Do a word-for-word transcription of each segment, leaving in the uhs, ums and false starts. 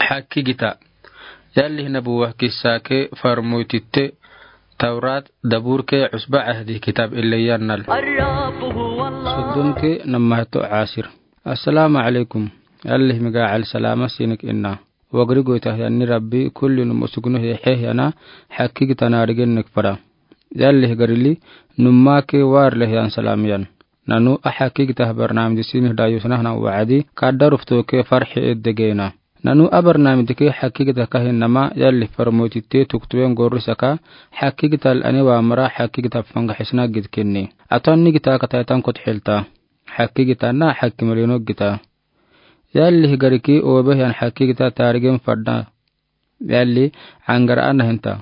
Hakkigita. Yallihi Nabuwa kissa ke farmoytitte Tawrat, Dabur ke Usba Ahdi kitab ille yannal. Soddon ke namahto Asir. Assalamu alaikum. Yallihi miga al salama sinik inna. Wagri goytahyan ni Rabbi kulli num usugno he hehiyana hakkigita naarigennek fara. Yallihi garili numma ke warle hiyan salamiyan. Nanu a hakkigita barnaamij sinih dayusnahna wa'adi kadda rufto ke farhi eddegeena. Nanu a barnaamij ke hakkigita kahin nama yallihi farmoytitte tuktuwen gorrisaka hakkigita la'ani wa mara hakkigita fangaxisna gidkinni. Atan ni gita kataytan kotxilta. Hakkigita na hakkimalino gita. Yallihi gariki obehiyan hakkigita taarigen fadda. Yalli angar ana hinta.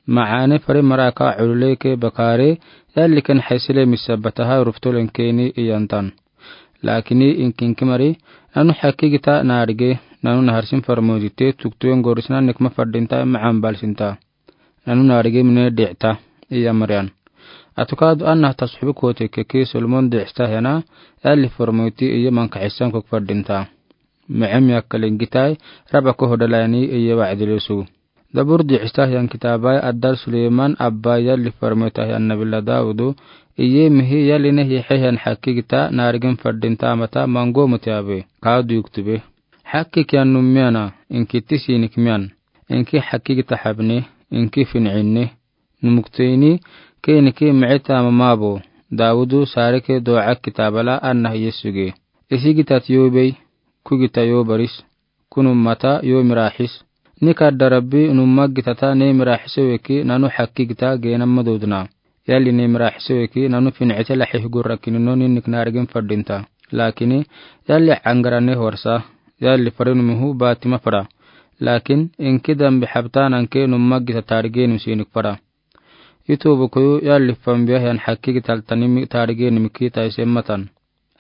Ma'ane fari maraka ulule ke bakare yalli ken haysile misabataha ruftolen keni iyantan. Lakini inkinki mari nanu hakkigita naarige nanu naharsin farmoytitte tuktuwen gorrisna nikma faddinta ma'an balsinta. Nanu naarige mine di'ta iya mariyan. Atukadu anna tasxubi kote keki Solomon di'sta hiyana yallihi farmoyti iye mankaxisan kok faddinta. Micem yakkalen gitai raba ko hodalayni iye wa'dilesu. Dabur di'sta hiyan kitabai addal Suleman abba yallihi farmoyta hiyan nabila Dawudu iye mihi yalline hixe hiyan hakkigita naarigen faddinta mata mango mutiyabe. Kadu yuktube. Hakkikiyan num miyana, inki tisinik miyan. Inki hakkigita habni, inki fin'inni. Numukteyni, keniki mi'ita mamabo. Dawudu sarike do'a kitabala anna hiye suge. Isi gitat yobey, ku gita yobaris, ku nummata yo miraxis. Ni kadda Rabbi numma gitata ne miraxiso weki nanu hakkigita geenamma dodna. Yalli ne miraxiso weki nanu fin'ite laxih gurrakinino ninnik naarigen faddinta. Lakini, yalli angarane horsa, yalli fari numihu batima fara. Lakin, inki dambi habtananke numma gita taarigenimi sinik fara. Itobu koyu yalli fambiya hiyan hakkigita ltanimi taarigenimi kiita isen matan.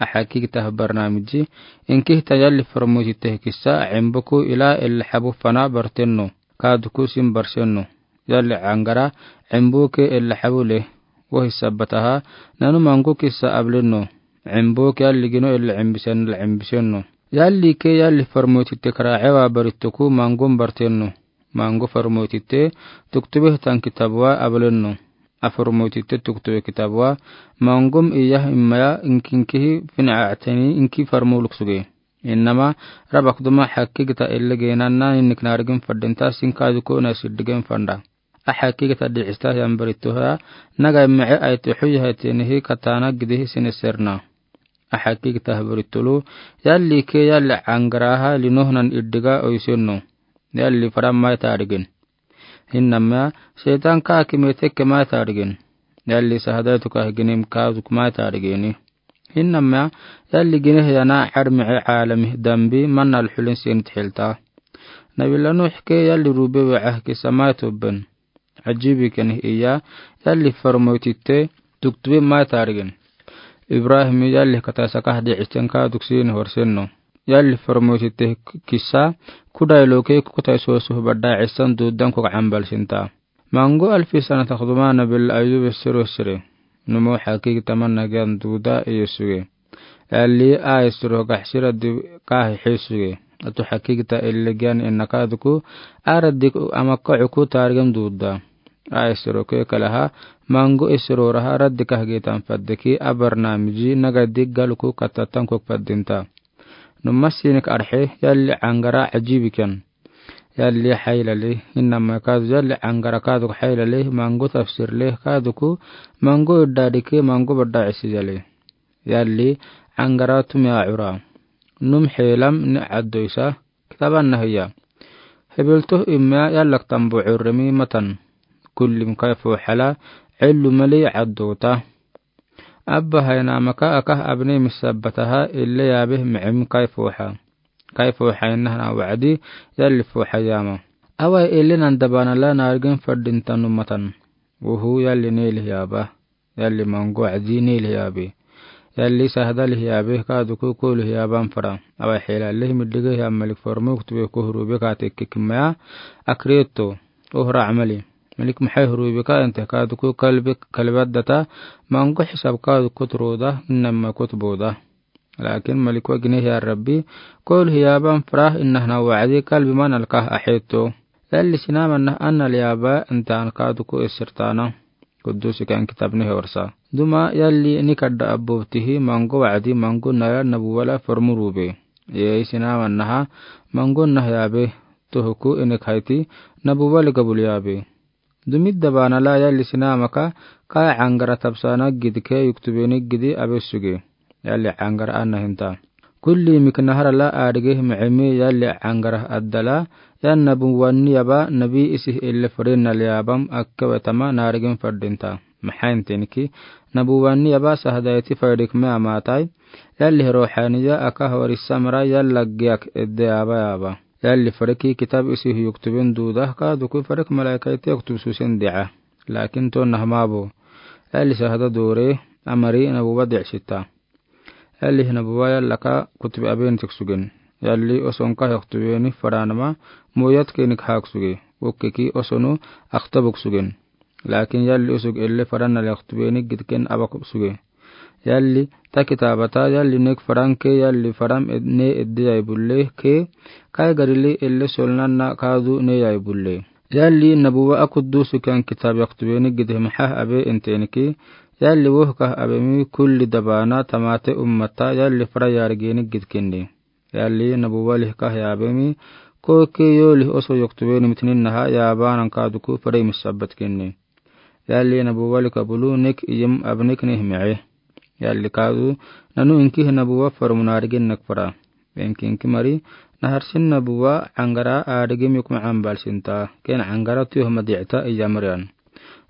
A hakkigita barnaamiji, inki hita yalli farmoytitte kissa, cimboku ila illa habu fana bartenno, kaduku sin barsenno. Yalli angara, cimboke illa habu le, wohi sabataha, nanu mango kissa ablenno. Cimboke yalli gino illa cimbisen la cimbisenno. Yalli ke yalli farmoytitte karaacewa barittoku mangom bartenno. Mango farmoytitte tuktube hitan kitabuwa ablenno. A farmoytitte tuktube kitabuwa mangom iyah immaya inkinkihi fin'a'ateni inki farmoluk suge. Innama rabak duma hakkigita ille geenanna ninnik naarigen faddinta sin kaduku na siddigen fanda. A hakkigita di'ista hiyan barittoha naga mice ayto xuyaha tenihi katana gidihi sineserna. A hakkigita barittolu yalli ke yalli angaraha linohnan iddiga oyisenno. Yalli fara mai taarigen. Hinnama seytan ka kime tekke mai taarigen. Yalli sahadaytu ka ginem kaaduk mai taarigeni. Hinnama yalli gine hiyana ar mice aalami dambi manal xulin senit xilta. Nabila Nuux ke yalli rube we'ah kisa mai tobben. Ajibi keni iya yalli farmoytitte tuktube mai taarigen. Ibrahim yalli kata sakah di'isten kaaduk sini horsenno. Yalli farmoytitte kisa kudaylo ke kukutai sosuh badda isan duuddan kok ambal sinta. Mango alfi sana takduma nabil Ayub siro sire. Numo hakigi tamanna giyan duuda iye suge. Yalli a isiro gaxsi raddi kahi xisuge. Atu hakigita ille giyan inna kaduku a raddi amakka uku taarigen duuda. A isiro ke kalaha mango isiro raha raddi kahgitan faddeki a barnaamiji naga diggaluku kattatan kok faddinta. Numma sinik arxe yalli angara ajibi kiyan. Yalli xaylale hinnama kadu yalli angara kaduk xaylale mango tafsirle kaduku mango iddadike mango badda isi yale. Yalli angara tumia ura. Num xeelam ni caddoysa kitaban nahiya. Hebiltoh immiya yallak tambo curremi matan. Kullim kayfo xala cellu mali caddoota. Abba haynamaka akah abne misabbataha ille yaabe micem kayfo xa. Kayfo xaynahna wacdi yalli fo xayama. Away ille nan dabanala naarigen faddinta numatan. Wuhu yalli neli yaaba. Yalli mango wacdi neli yaabe. Yalli sahda lih yaabe kaduku ko lih yaaban fara. Away xeela lih middige yam malik farmo kutube ko hurube ka tekke kimaya. Akreto. Ohra amali. Malik maxay hurube ka inte kaduku kalbe kalbaddata. Mango xisab kaduku turoda. Innama kutboda. Laakin Malik wa Gine Hiyaar Rabbi, koolhi yaaban fara inahana wacdi kalbi manalka aheto. Yalli sinama nah anal yaaba intaan kaaduku isirtaana. Kuddusikan kitab nih warsa. Duma yalli nikadda abubtihi mango wacdi mango naya nabuwa la formurube. Yei sinama naha mango nah yaabe. Tohuku inik hayti nabuwa li gabul yaabe. Dumidda baana la yalli sinamaka ka angara tabsana gidke yuktubeni gidi abe suge. Yalli angara ana hinta. Kulli mik nahara la adige micimi yalli angara addala, yan nabuwa ni yaba nabi isih ille fare nal yaabam akkawe tama naarigin fardinta. Maxaintenki, nabuwa ni yaba sahdayti fardikme amaatai, yalli ruuxaniya aka hori samra yalla giyak edde yaaba yaaba. Yalli fariki kitab isih yuktubin duuda kaaduku farik malaikayti yuktub susen dica. Laakin to nahmabo. Yalli sahda doore, amari nabuwa dicsita. Yalli nabuwa yallaka kutube abentik sugen. Yalli osonka yuktubeni faranama moyatkenik haak suge. Ukkeki osonu aktabuk sugen. Laakin yalli usug ille faran nal yuktubeni gidken abak suge. Yalli ta kitaabata yalli nek faranke yalli faram ne edde yai bulle ke kai garili ille solnanna kaadu ne yai bulle. Yalli nabuwa akuddusikan kitaab yuktubeni gidhe maxah abe intenki, yalli wohkah abemi kulli dabaana tamaate ummata yalli fara yaarigeni gidkinni. Yalli nabuwa lihkah yaabemi, koke yoolih oso yuktubeni mitnin naha yaabanan kaaduku fara imisabbatkinni. Yalli nabuwa lika bulu nek iyim abnik nih mice. Yalli kaadu, nanu inkih nabuwa formu naarigin nek fara. Enki inki mari, naharsin nabuwa angara adigim yukma ambalsinta, ken angara tuyoh madicta iyamrian.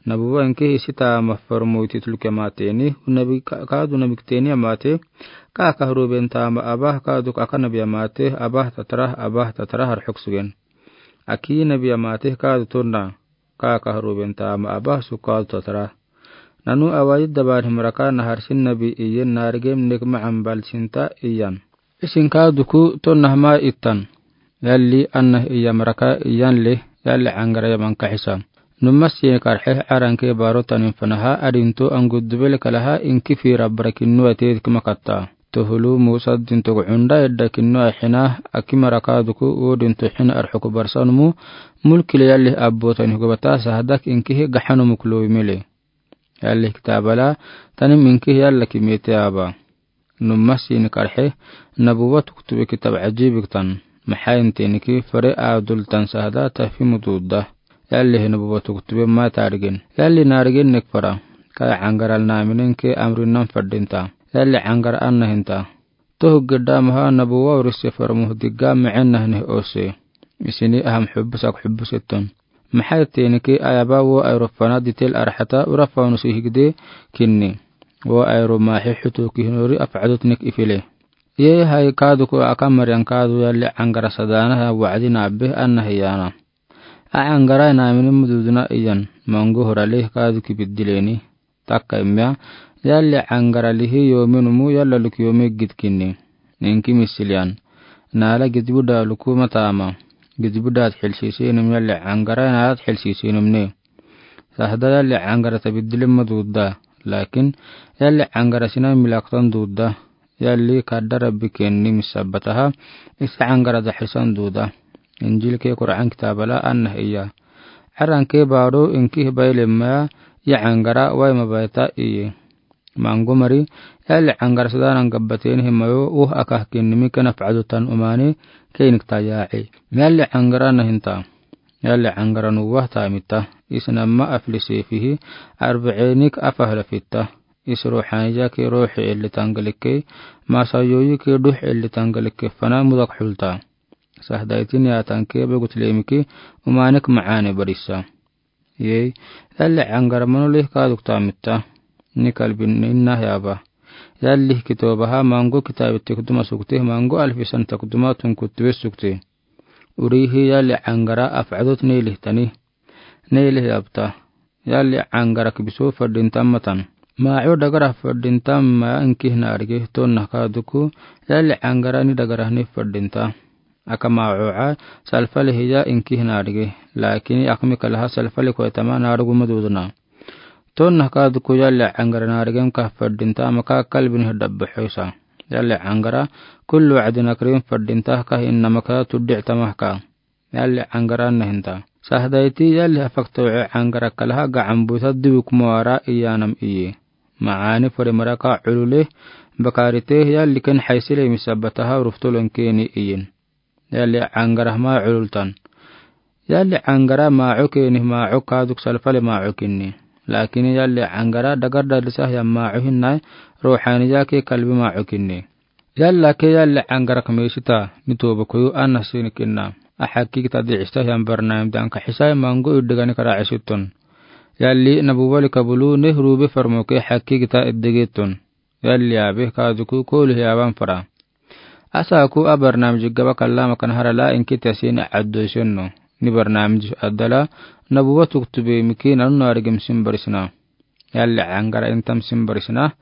Nabuwa inkih isi tama formu ititluke mateni, nabi ka-, kaadu nabikteni amate, ka kahruben tama abah kaaduk aka nabi amate, abah tatarah, abah tatarah arxuk sugen. Aki nabi amate kaadu tonna. Ka kahruben tama abah su kaadu tatara. Nanu awaid dabar himraka naharsin nabi iyen naarigem nek ma ambalsinta iyan. Isin kaaduku to nahma ittan. Yalli anna iyamraka iyan le, yalli angara yaman kaxisa. Numma siyen karxe aranke baro tanin fanaha adinto anguddubel kalaha inki fira barakinnu ateed kima katta. Tohulu Musa dinto gu cunda edda kinnu axina akimara kaaduku u dinto xina arxuku barsanumu mulkile yalli abbotanih gubata sahdak inkihi gaxanumuk loowimile. Yalli kitaabala tanim inkihi yalla kimete aba. Numma siini karxe nabuwa tuktube kitaab cajiibik tan. Maxaa inteniki fare aadul tan sahda tafimu duudda. Yalli hi nabuwa tuktube ma taarigen. Yalli naarigen nek fara. Kaya cangaral naaminen ke amrinan fadinta. Yalli cangar anna hinta. Tohu gidda maha nabuwa urise farmuh digga micen nahnih ose. Isini aham xubbusak xubbusetton. Maxaa teniki ayaba wo ayro fana ditel arxata ura fanu sihigde kinni. Wo ayro maaxi xutu kihnori afcadotnik ifile. Ye hay kaaduku aka maryan kaadu yalli cangara sadaanaha wacdi naabe anna hiyaana. A cangara naamini mududuna iyan mangu horale kaaduki biddileni. Takka immiya, yalli cangara lihi yoominumu yalla luk yoomi gidkinni. Ninki misiliyan. Naala gidbuda luku mataama. Gidbuda txilsiisinum yalli cangara naala txilsiisinum ne. Sahda yalli cangara tabiddilim maduudda. Laakin yalli cangara sina milaktan duudda. Yalli kadda Rabbi kenni misabbataha, isi cangara daxisan duuda. Injil ke Qur'an kitaabala anna hiya. Caranke baado inkih baylemmaya, ya cangara wayma bayta iye. Mangu mari, yalli cangara sadaanan gabbateni himayo, uh akah kinnimi kena facdotan umaani, keinik tayaaci. Yalli cangara nahinta. Yalli cangara nuwah taamitta. Isnamma afli seefihi, arbiciinik afah lafitta. Is ruuxaaniyake ruuxi elli tangalikke, masayoyike duux elli tangalikke fana mudak xulta. Sahdaytin yaatanke begutlemiki umaanik macaane barisa. Yei, yalli cangara manu lih kaaduk taamitta. Ni kalbin inna yaaba. Yalli kitoobaha mangu kitaabi tekduma sukte, mangu alfisan tekduma tunkuttube sukte. Urihi yalli cangara afcadot neelih tani. Neelih yaabta. Yalli cangara kibiso fadinta matan. Maaco dagarah fadinta ma inkih naarige tonna kaaduku, yalli cangara ni dagarahni fadinta. Aka maacoca, salfalihiya inkih naarige. Laakin akmi kalaha salfali koytama naarugu maduduna. Tonna kaaduku yalli cangara naarigem kah fadinta maka kalbin hi dabbaxoysa. Yalli caŋgara, kullu wacdin akrim fadinta ka innama ka tuddic tamah ka. Yalli caŋgara nahinta. Sahdayti yalli afakta wece caŋgara kalaha gacanbuta dubuk mawara iyanam iye. Maani fari maraka culule, bakarite yalli ken haysile misabataha ruftolon keni iyin. Yalli caŋgara ma culultan. Yalli caŋgara maco keni maco kaduk salfale maco kinni. Lakin yalli caŋgara dagar dadisa ya maco hinna ruhaniya ke kalbi maco kinni. Yalla ke yalli caŋgara kamisita ni tobo koyu anna sini kinna. A hakki kita diista ya barnamij dan ka hisai mango iddigani kara cisiton. Yalli nabu wali kabulu ne rube farmo ke hakki kita iddigiton. Yalli abi kaduku kolu hiyaban fara. Asa aku a barnamij gaba kallama kan harala inki tasin addo senno. Ni barnamij addala nabu watu kutube miki nanu narigim simbarisna. Yalli caŋgara intam simbarisna.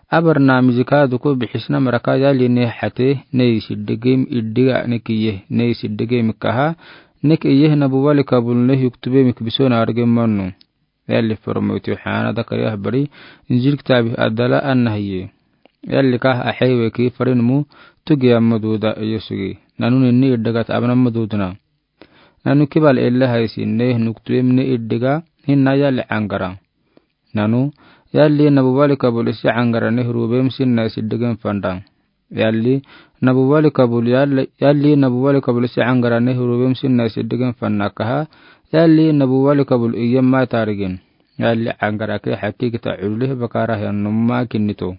A barnamij kaduku bihisna maraka yalli ne hate ne isiddigim iddiga ne kiye ne isiddigim kaha ne kiye nabu wali kabul ne yuktube mik biso narigim mannu. Yalli formoyti hana dakari ahbari injil kitabi addala anna hiye. Yalli kah ahewe ki farin mu tugi amma duda iyo sugi. Nanu ninni iddagat abna amma dudna. Nanu kibal ella haysi ne nuktubem ne iddiga hinna yalli caŋgara. Nanu, yalli nabu wali kabul isi caŋgara ne rubem sinna isiddigim fanda. Yalli nabu wali kabul yalli, yalli nabu wali kabul isi caŋgara ne rubem sinna isiddigim fanna kaha, yalli nabu wali kabul iyem ma tarigin. Yalli caŋgara ke hakki kita culule bakara hiyan numma kinnito.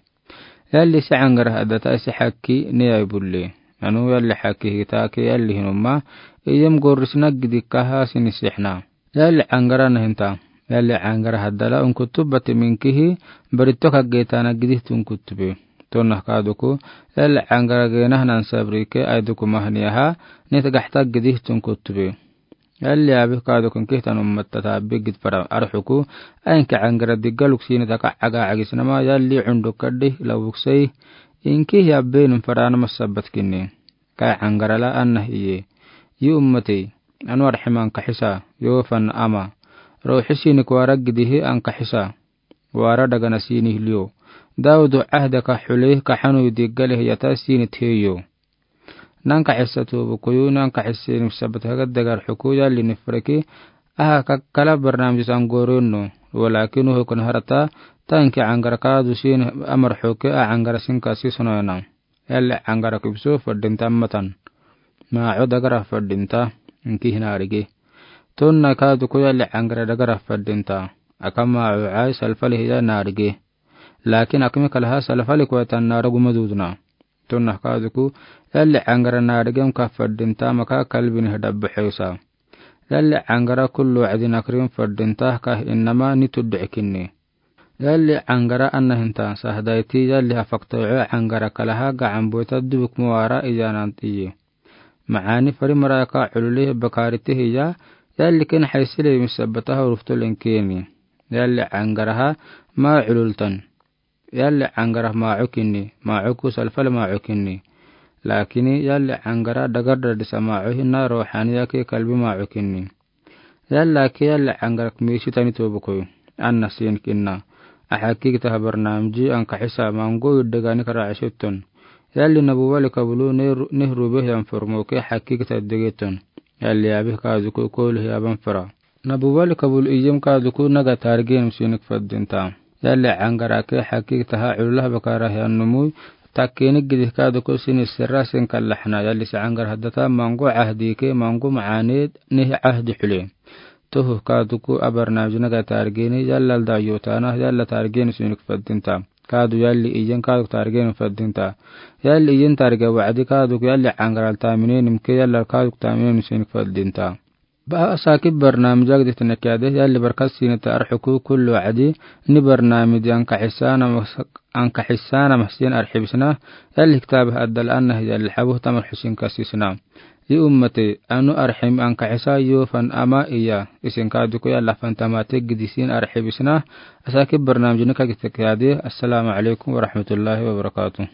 Yalli isi caŋgara addata isi hakki ne ay bulle. Nanu yalli hakki kita ke yalli hinumma, iyem gorisna gidi kaha sini sihna. Yalli caŋgara nahinta. Yalli caŋgara haddala unkutubati minkihi, barito kaggetana gidihti unkutube. Tonna kaduku, yalli caŋgara genah nan sabrike aiduku mahniyaha, nit gaxta gidihti unkutube. Yalli abi kaduku inkihtan ummattata bigid fara arxuku, ainki caŋgara diggaluk sini taka caga cagisnama yalli cunduk kaddi labuksai, inkih yabbenum farana masabat kinni. Kai caŋgara la anna iye. Yi ummatey. Anu arxim ankaxisa, yoofan ama. Ruuxi sinik wara gidihi ankaxisa. Wara dagana sinih liyo. Dawdu cahdaka xule kaxanu diggalih yata sinit heyo. Nankaxisa tubu kuyu nankaxisa sinik sabat haga dagar xuku yalli nifreki. Aha kakkala barnamij san goronno. Walakin uhukun harata tanki caŋgara kadu sin amar xuke a caŋgara sin kasi sonoyana. Yalli caŋgara kibso fadinta matan. Maco dagara fadinta, inki hinarige. Tonna kaduku yalli caŋgara dagara fadinta. Aka maco cai salfali hiya narige. Lakin akmi kalaha salfali kuwatan naragu madudna. Tonna kaduku yalli caŋgara narigem ka fadinta maka kalbini hadabu xeysa. Yalli caŋgara kullu wacdin akrim fadinta ka innama ni tuddu cikinni. Yalli caŋgara anna hinta sahdayti yalli afakta wece caŋgara kalaha gacanbuta dubuk mawara iyanan iye. Maani fari maraka culule bakarite hiya yalli ken haysile misabataha ruftolin keni. Yalli caŋgaraha ma culultan. Yalli caŋgara maco kinni, maco ku salfale maco kinni. Lakini yalli caŋgara dagar dadisa maco hinna ruuxaniya ke kalbi maco kinni. Yalla ke yalli caŋgara kmisitani tobu koyu. Anna sin kinna. A hakki kita ha barnamiji ankaxisa mango iddigani kara cisiton. Yalli nabu wali kabulu ne rube hiyan formo ke hakki kita iddigiton. Yalli abi kaduku kolu hiyaban fara. Nabu wali kabul iyem kaduku naga targenum sinik fadinta. Yalli caŋgara ke hakki kita ha cululaha bakara hiyan numui takkenik gidih kaduku sini sirra sin kallaxna yalli si caŋgara haddata mango cahdi ke mango macaaned nih cahdi xule. Tohu kaduku a barnamij naga targeni yalla dayotana yalla targeni sinik fadinta. Kadu yalli iyen kaduk targeni fadinta. Yalli iyen targe wacdi kaduk yalli caŋgara taminenim ke yalla kaduk taminenim sinik fadinta. Ba asaki barnamij agdihti nekiyade yalli barkat sinita arxuku kullu wacdi ni barnamij ankaxisana mahsin arxibisna yalli kitabi addal anna yalli xabuh tamar xusin kasisna. Yi ummatey anu arxim ankaxisa yoofan ama iya isin kaduku yalla fantamate gidi sin arxibisna. Asaki barnamij nika gihti nekiyade. Assalamu alaykum warahmatullahi wabarakatuh.